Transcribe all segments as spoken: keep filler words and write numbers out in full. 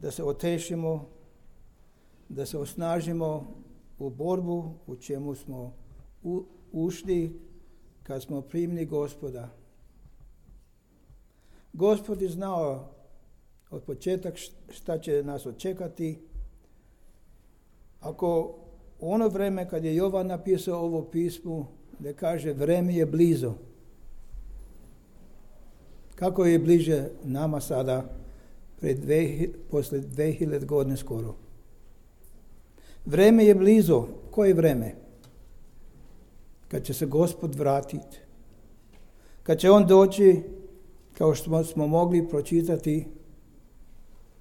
da se otešimo, da se osnažimo u borbu u čemu smo u, ušli kad smo primili Gospoda. Gospod je znao od početak šta će nas očekati. Ako ono vreme kad je Jovan napisao ovo pismo, da kaže vreme je blizu. Kako je bliže nama sada, pred dve, posle dve hiljade godine skoro. Vreme je blizu. Koje vreme? Kad će se Gospod vratiti. Kad će on doći, kao što smo mogli pročitati,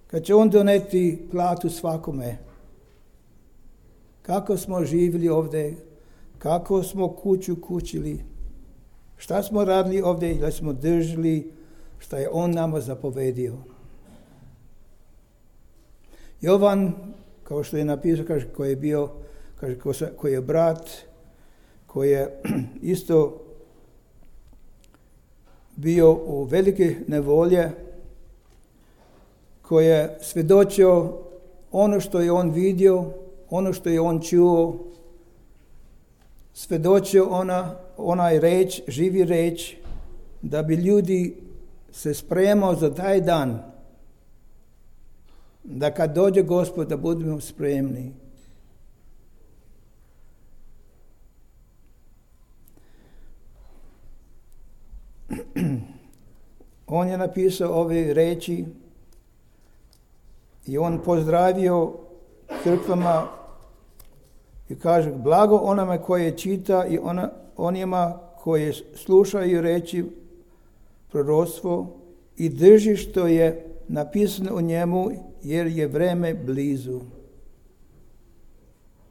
kad će on doneti platu svakome. Kako smo živjeli ovdje, kako smo kuću kućili, šta smo radili ovdje, da smo držali, šta je on nama zapovedio. Jovan, kao što je napisao, kaže, koji je bio, kaže, koji je brat, koji je isto bio u velike nevolje, koji je svjedočio ono što je on vidio, ono što je on čuo, svjedočio ona, onaj reč, živi reč, da bi ljudi se spremao za taj dan, da kad dođe Gospod da budemo spremni. On je napisao ove reči i on pozdravio crkvama i kaže, blago onome koje čita i ona, onima koje slušaju reći proroctvo i drži što je napisano u njemu, jer je vreme blizu.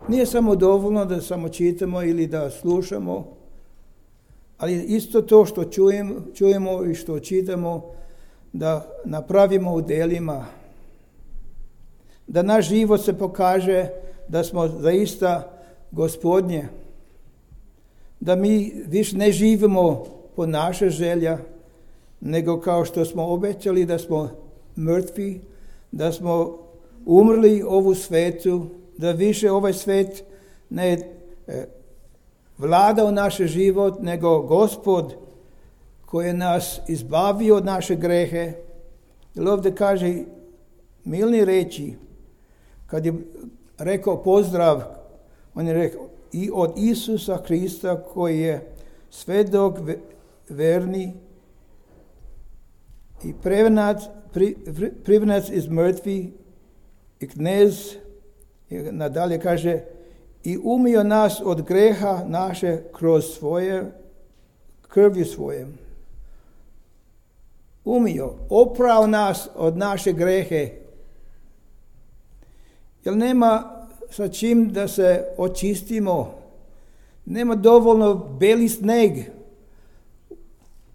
Nije samo dovoljno da samo čitamo ili da slušamo, ali isto to što čujemo, čujemo i što čitamo, da napravimo u delima. Da naš život se pokaže da smo zaista Gospodnje. Da mi više ne živimo po naše želja, nego kao što smo obećali da smo mrtvi, da smo umrli ovu svetu, da više ovaj svet ne e, vlada u naš život, nego Gospod koji je nas izbavio od naše grehe. Jer ovdje kaže milni reči, kad je rekao pozdrav, on je rekao i od Isusa Krista koji je svedok verni i prevenac, pri, privenac iz mrtvi i knez, i nadalje kaže, i umio nas od greha naše kroz svoje krvju svoje. Umio, oprao nas od naše grehe. Jer nema sa čim da se očistimo. Nema dovoljno beli sneg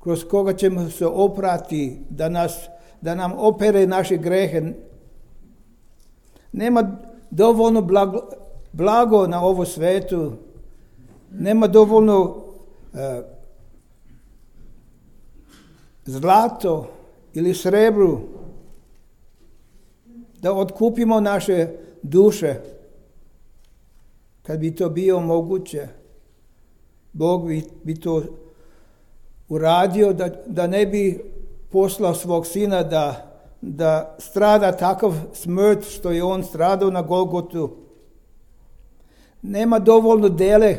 kroz koga ćemo se oprati da, nas, da nam opere naše grehe. Nema dovoljno blago, blago na ovom svetu. Nema dovoljno uh, zlato ili srebru da otkupimo naše duše. Kad bi to bio moguće, Bog bi, bi to uradio da, da ne bi poslao svog sina da, da strada takav smrt što je on stradao na Golgotu. Nema dovoljno dele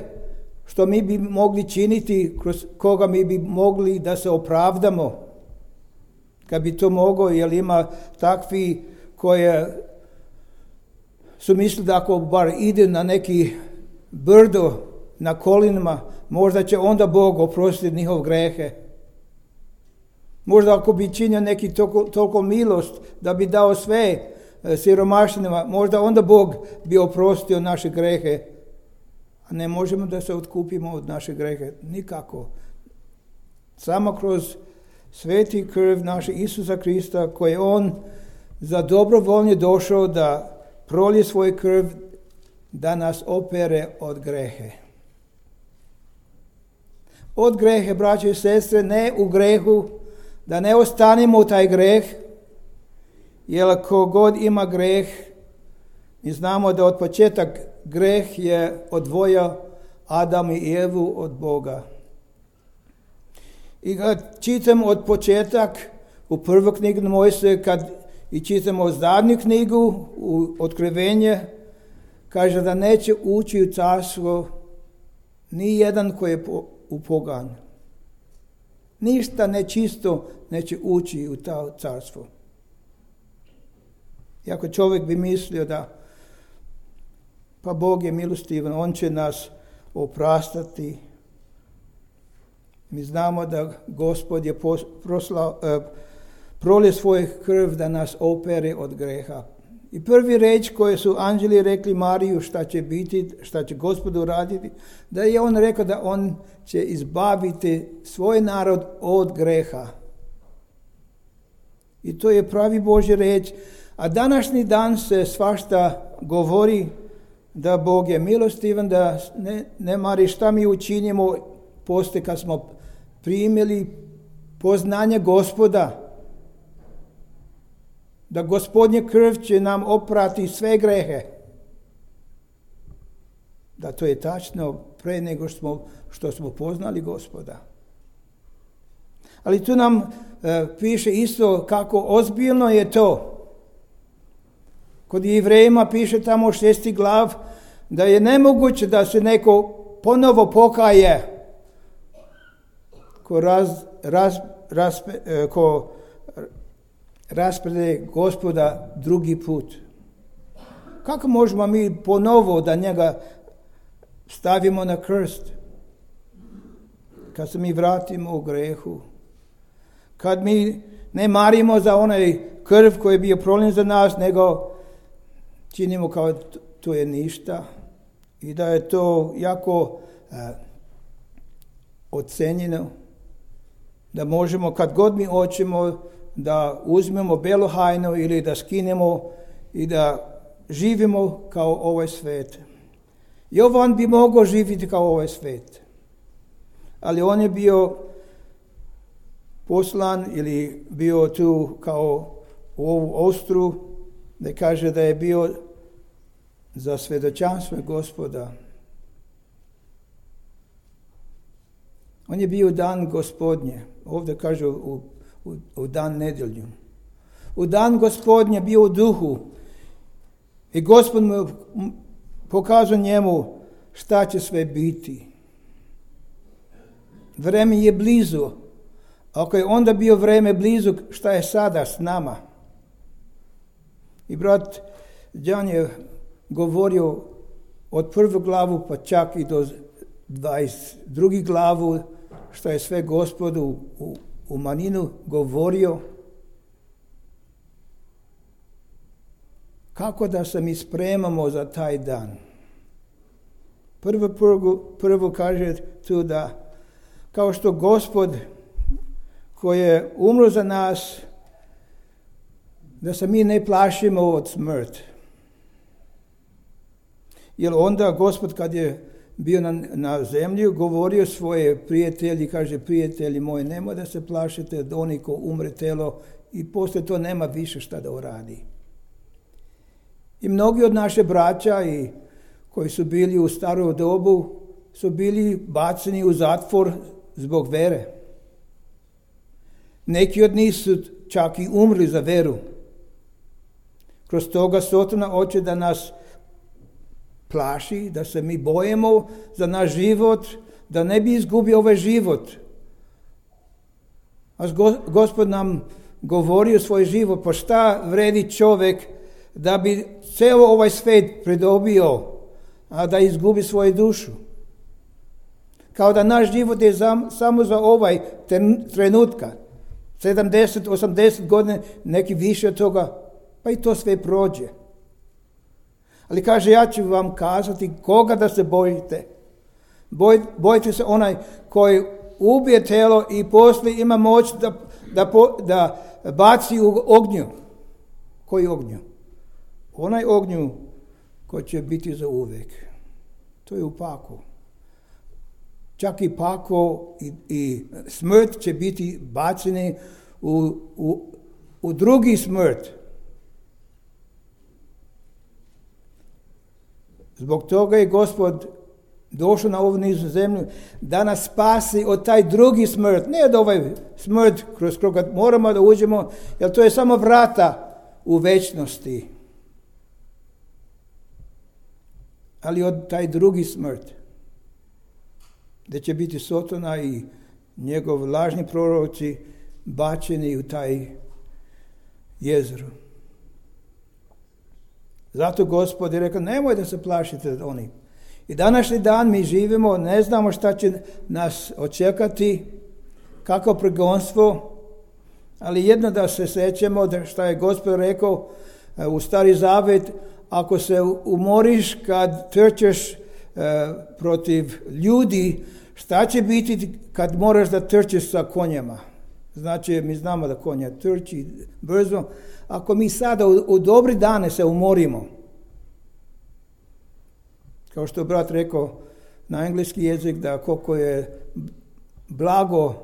što mi bi mogli činiti, kroz koga mi bi mogli da se opravdamo. Kad bi to mogao, jer ima takvi koje su mislili da ako bar ide na neki brdo na kolinama, možda će onda Bog oprostiti njihov grehe. Možda ako bi činio neki toliko, toliko milost da bi dao sve siromašnima, možda onda Bog bi oprostio naše grehe. A ne možemo da se otkupimo od naše grehe. Nikako. Samo kroz sveti krv naše Isusa Krista, koji je on za dobrovoljno došao da prolije svoj krv, da nas opere od grehe. Od grehe, braće i sestre, ne u grehu, da ne ostanemo u taj greh, jer ko god ima greh, mi znamo da od početak greh je odvojio Adam i Evu od Boga. I kad čitam od početak u prvu knjigu Mojsije, kad i čitamo zadnju knjigu u Otkrivenje, kaže da neće ući u carstvo ni jedan koji je u pogan. Ništa nečisto neće ući u to carstvo. Iako čovjek bi mislio da pa Bog je milostivan, on će nas oprastati. Mi znamo da Gospod je proslao, eh, prolio svoj krv da nas opere od greha. I prvi reč koje su anđeli rekli Mariju šta će biti, šta će Gospod uraditi, da je on rekao da on će izbaviti svoj narod od greha. I to je pravi Božja reč. A današnji dan se svašta govori da Bog je milostivan, da ne, ne mari šta mi učinimo poslije kad smo primili poznanje Gospoda. Da Gospodnje krv će nam oprati sve grehe. Da to je tačno pre nego što smo, što smo poznali Gospoda. Ali tu nam e, piše isto kako ozbiljno je to. Kod Jevrejima piše tamo šesti glav da je nemoguće da se neko ponovo pokaje ko raz, raz, raz, e, ko rasprede Gospoda drugi put. Kako možemo mi ponovo da njega stavimo na krst? Kad se mi vratimo u grehu. Kad mi ne marimo za onaj krv koji je bio proljen za nas, nego činimo kao to je ništa. I da je to jako uh, ocenjeno. Da možemo kad god mi hoćemo da uzmemo belu hajnu ili da skinemo i da živimo kao ovaj svijet. Jovan bi mogao živjeti kao ovaj svijet. Ali on je bio poslan ili bio tu kao u ovu ostru, da kaže da je bio za svjedočanstvo Gospoda. On je bio dan Gospodnje. Ovdje kaže u U, u dan nedjelju. U dan Gospodnje bio u duhu i Gospod mu pokazao njemu šta će sve biti. Vreme je blizu. Ako je onda bio vreme blizu, šta je sada s nama? I brat Đan je govorio od prvu glavu pa čak i do dvadeset drugu glavu šta je sve Gospodu u u maninu govorio. Kako da se mi spremamo za taj dan? Prvo, prvo, prvo kaže tu da kao što Gospod koji je umro za nas, da se mi ne plašimo od smrt. Jer onda Gospod kad je bio na, na zemlji, govorio svoje prijatelji, kaže prijatelji moji, nemoj da se plašite od onih ko umre telo i poslije to nema više šta da uradi. I mnogi od naše braća i koji su bili u starom dobu su bili baceni u zatvor zbog vere. Neki od njih su čak i umrli za veru. Kroz toga Sotona hoće da nas plaši, da se mi bojimo za naš život, da ne bi izgubio ovaj život. A Gospod nam govori svoj život, pa šta vredi čovjek da bi cijelo ovaj svijet pridobio, a da izgubi svoju dušu. Kao da naš život je za, samo za ovaj trenutka, sedamdeset, osamdeset godina, neki više od toga, pa i to sve prođe. Ali kaže, ja ću vam kazati koga da se bojite. Boj, bojite se onaj koji ubije telo i poslije ima moć da, da, da baci u ognju. Koji ognju? Onaj ognju koji će biti za uvijek. To je u paklu. Čak i pakao i, i smrt će biti baceni u, u, u drugi smrt. Zbog toga je Gospod došao na ovu nizu zemlju da nas spasi od taj drugi smrt. Ne od ovaj smrt kroz koga moramo da uđemo, jer to je samo vrata u večnosti. Ali od taj drugi smrt, gdje će biti Sotona i njegov lažni proroci bačeni u taj jezero. Zato Gospod je rekao, nemoj da se plašite od onih. I današnji dan mi živimo, ne znamo šta će nas očekati, kako progonstvo, ali jedno da se sećamo da šta je Gospod rekao u Stari Zavet, ako se umoriš kad trčeš e, protiv ljudi, šta će biti kad moraš da trčiš sa konjama? Znači, mi znamo da konja trči brzo. Ako mi sada u, u dobri dane se umorimo, kao što je brat rekao na engleski jezik, da koliko je blago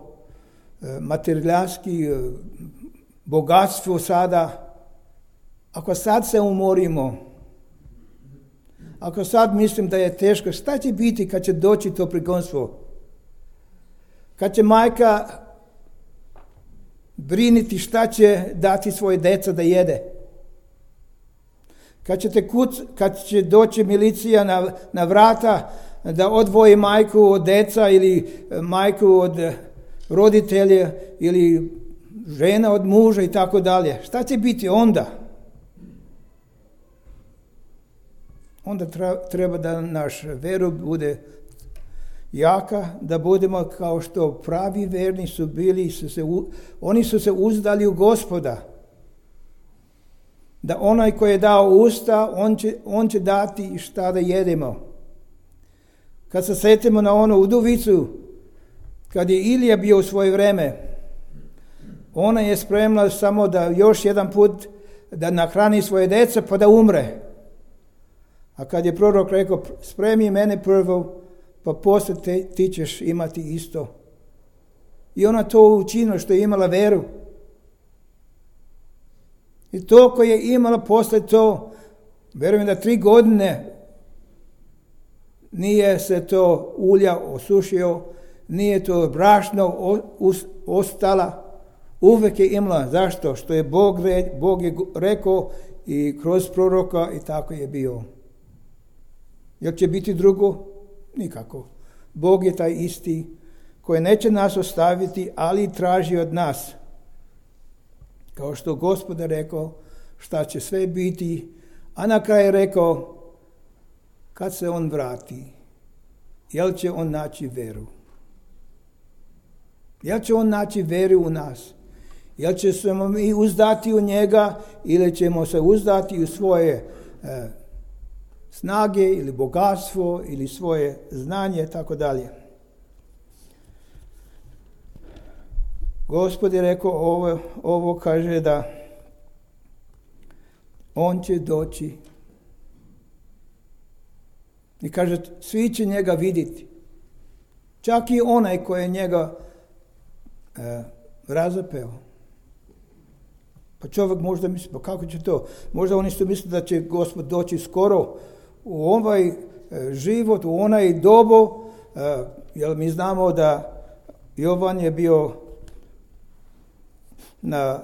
materijalski bogatstvo sada, ako sad se umorimo, ako sad mislim da je teško, šta će biti kad će doći to prigonstvo? Kad će majka briniti šta će dati svoje deca da jede? Kad, ćete kuc, kad će doći milicija na, na vrata da odvoji majku od deca ili majku od roditelja ili žena od muža i tako dalje. Šta će biti onda? Onda treba da naš veru bude jaka, da budemo kao što pravi verni su bili, su se, oni su se uzdali u Gospoda. Da onaj koji je dao usta, on će, on će dati šta da jedemo. Kad se setimo na onu udovicu, kad je Ilija bio u svoje vreme, ona je spremna samo da još jedan put da nahrani svoje deca pa da umre. A kad je prorok rekao, spremi mene prvo, pa poslije te, ti ćeš imati isto. I ona to učinila što je imala veru. I to koje je imala posle to, verujem da tri godine nije se to ulja osušio, nije to brašno ostala, uvek je imala. Zašto? Što je Bog, Bog je rekao i kroz proroka i tako je bio. Jel će biti drugo? Nikako. Bog je taj isti koji neće nas ostaviti, ali traži od nas. Kao što Gospod je rekao šta će sve biti, a na kraju je rekao kad se on vrati, jel će on naći veru? Jel će on naći veru u nas? Jel će se mi uzdati u njega ili ćemo se uzdati u svoje e, snage ili bogatstvo ili svoje znanje, tako dalje. Gospod je rekao ovo, ovo kaže da on će doći i kaže svi će njega vidjeti. Čak i onaj koji je njega e, razapeo. Pa čovjek možda misli, pa kako će to? Možda oni su mislili da će Gospod doći skoro u ovaj e, život, u onaj dobu, e, jer mi znamo da Jovan je bio na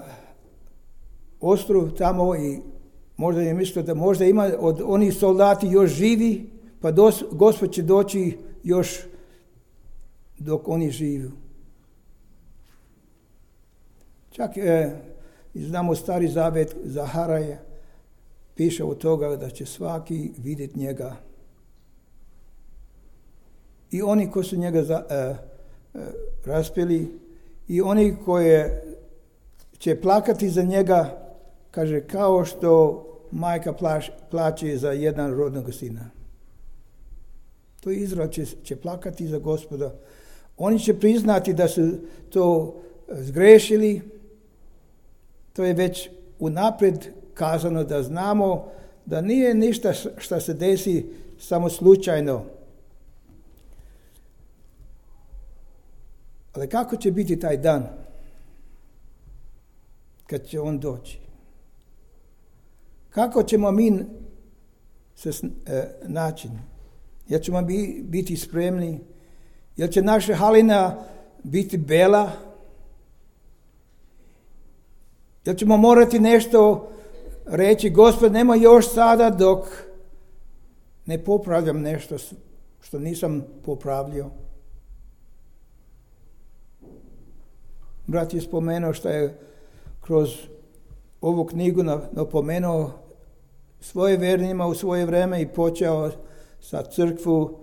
ostrvu tamo i možda je mislio da možda ima od onih soldati još živi, pa dos, Gospod će doći još dok oni žive. Čak e, znamo Stari Zavet Zaharaja, piše od toga da će svaki vidjeti njega. I oni koji su njega za, e, e, raspili, i oni koji će plakati za njega, kaže, kao što majka plaš, plaće za jedan rodnog sina. To Izrael će, će plakati za Gospoda. Oni će priznati da su to zgrešili. To je već unaprijed kazano da znamo da nije ništa što se desi samo slučajno. Ali kako će biti taj dan kad će on doći? Kako ćemo mi se naći? Jel ćemo biti spremni? Jel će naša halina biti bela? Jel ćemo morati nešto reći, Gospod, nema još sada dok ne popravljam nešto što nisam popravljao? Brat je spomenuo što je kroz ovu knjigu napomenuo svoje vernima u svoje vreme i počeo sa crkvu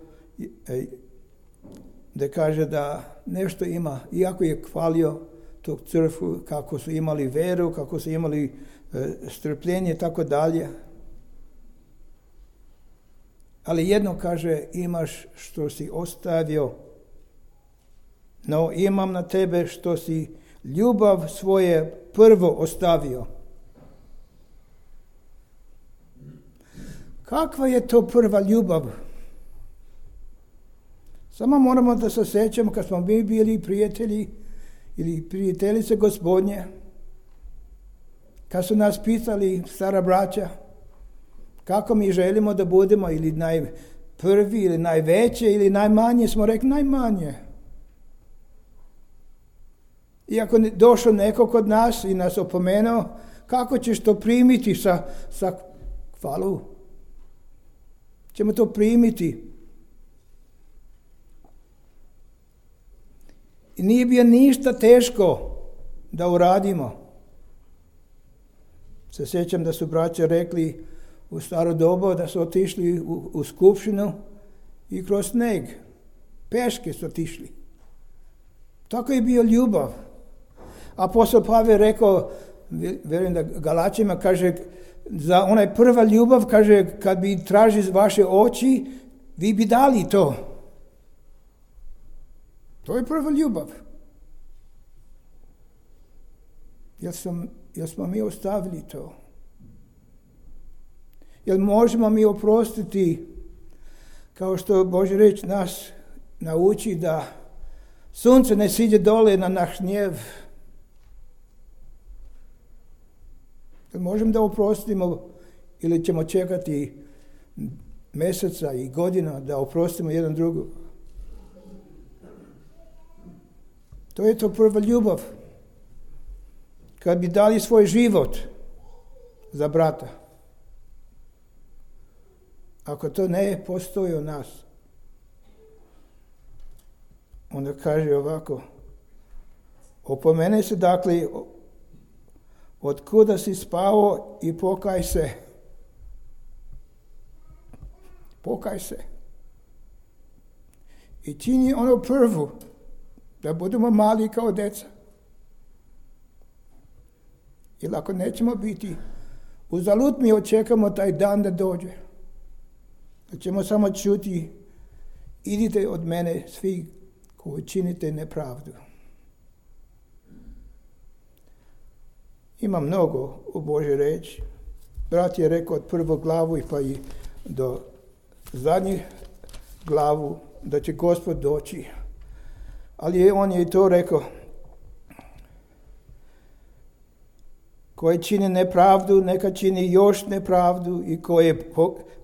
da kaže da nešto ima, iako je hvalio tog crkvu, kako su imali veru, kako su imali e, strpljenje i tako dalje. Ali jedno kaže, imaš što si ostavio, no imam na tebe što si ljubav svoje prvo ostavio. Kakva je to prva ljubav? Samo moramo da se sjećamo kad smo mi bili prijatelji ili prijateljice Gospodnje, kad su nas pitali, stara braća, kako mi želimo da budemo, ili najprvi, ili najveće, ili najmanje, smo rekli najmanje. Iako je došao neko kod nas i nas opomenuo, kako ćeš to primiti sa, sa hvalu? Ćemo to primiti. I nije bio ništa teško da uradimo. Se sjećam da su braća rekli u staro dobu da su otišli u, u skupštinu i kroz sneg. Peške su otišli. Tako je bio ljubav. Apostol Pavel rekao, vjerujem da Galačima, kaže, za onaj prva ljubav, kaže, kad bi traži vaše oči, vi bi dali to. To je prva ljubav. Jel, sam, jel smo mi ostavili to? Jel možemo mi oprostiti, kao što Božja riječ nas nauči, da sunce ne siđe dole na naš gnjev? Jel možemo da oprostimo ili ćemo čekati mjeseca i godina da oprostimo jedan drugog? To je to prva ljubav. Kad bi dali svoj život za brata. Ako to ne postoji u nas, onda kaže ovako, opomene se dakle, od kuda si spao i pokaj se. Pokaj se. I čini ono prvu, da budemo mali kao djeca. Jer ako nećemo biti, uzalud mi očekamo taj dan da dođe. Da ćemo samo čuti, idite od mene svi koji činite nepravdu. Ima mnogo u Božoj riječi. Brat je rekao od prvog glavu i pa i do zadnjih glavu da će Gospod doći. Ali on je i to rekao. Koji čini nepravdu, neka čini još nepravdu, i koji je,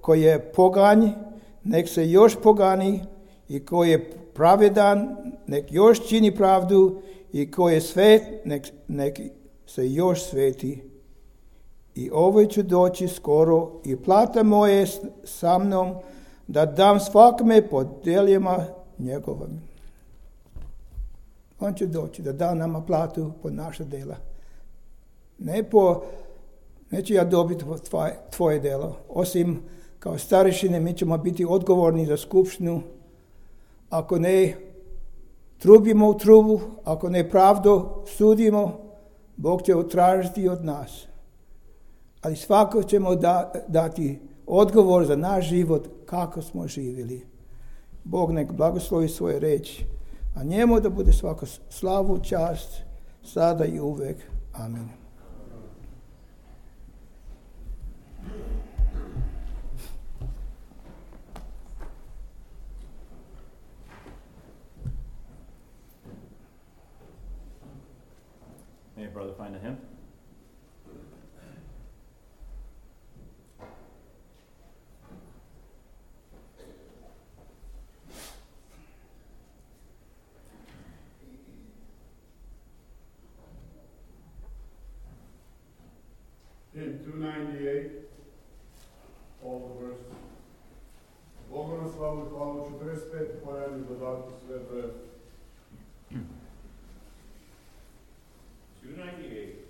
koji je poganj, nek se još pogani, i koji je pravedan, nek još čini pravdu, i koji je svet, nek, nek se još sveti. I ovo će doći skoro, i plata moje sa mnom, da dam svakome po djelima njegovim. On će doći da da nama platu po naša djela. Ne po, neću ja dobiti tvoje, tvoje djelo. Osim kao starešine mi ćemo biti odgovorni za skupštinu. Ako ne trubimo u trubu, ako ne pravdu sudimo, Bog će utražiti od nas. Ali svako ćemo da, dati odgovor za naš život kako smo živjeli. Bog nek blagoslovi svoje reči, a njemu da bude svako slavu, čast, sada i uvek. Amin. May a brother find a hymn? In two ninety-eight, all the verses. Bogu na slavu i hvalu, četrdeset pet pojavnih dodatku sve brojeve. two ninety-eight.